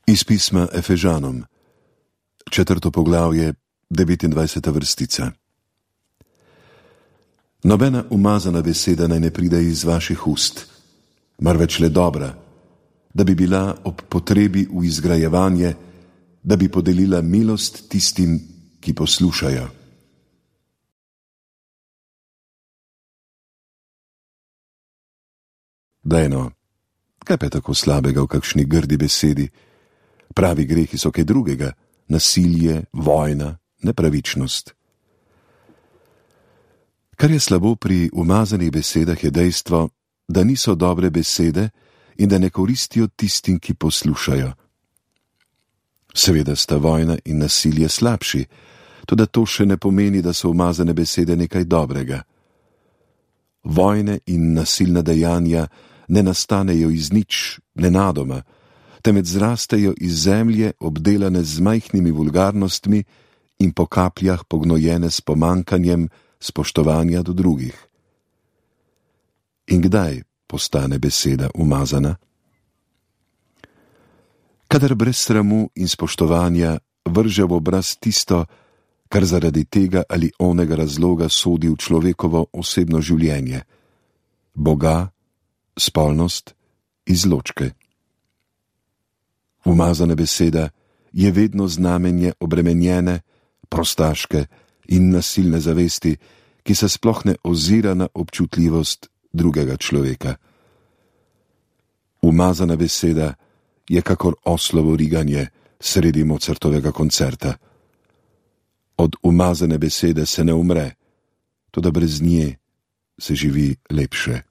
Iz pisma Efežanom, 4. poglavje, 29. vrstica. Nobena umazana beseda naj ne pride iz vaših ust, marveč le dobra, da bi bila ob potrebi v izgrajevanje, da bi podelila milost tistim, ki poslušajo. Dajno, kaj pa je tako slabega v kakšni grdi besedi? Pravi grehi so kaj drugega, nasilje, vojna, nepravičnost. Kar je slabo pri umazanih besedah, je dejstvo, da niso dobre besede in da ne koristijo tistim, ki poslušajo. Seveda sta vojna in nasilje slabši, toda to še ne pomeni, da so umazane besede nekaj dobrega. Vojne in nasilna dejanja ne nastanejo iz nič, nenadoma, temveč zrastejo iz zemlje, obdelane z majhnimi vulgarnostmi in po kapljah pognojene s pomankanjem spoštovanja do drugih. In kdaj postane beseda umazana? Kadar brez sramu in spoštovanja vrže v obraz tisto, kar zaradi tega ali onega razloga sodi v človekovo osebno življenje, Boga, spolnost, izločke. Umazana beseda je vedno znamenje obremenjene, prostaške in nasilne zavesti, ki se sploh ne ozira na občutljivost drugega človeka. Umazana beseda je kakor oslovo riganje sredi Mozartovega koncerta. Od umazane besede se ne umre, toda brez nje se živi lepše.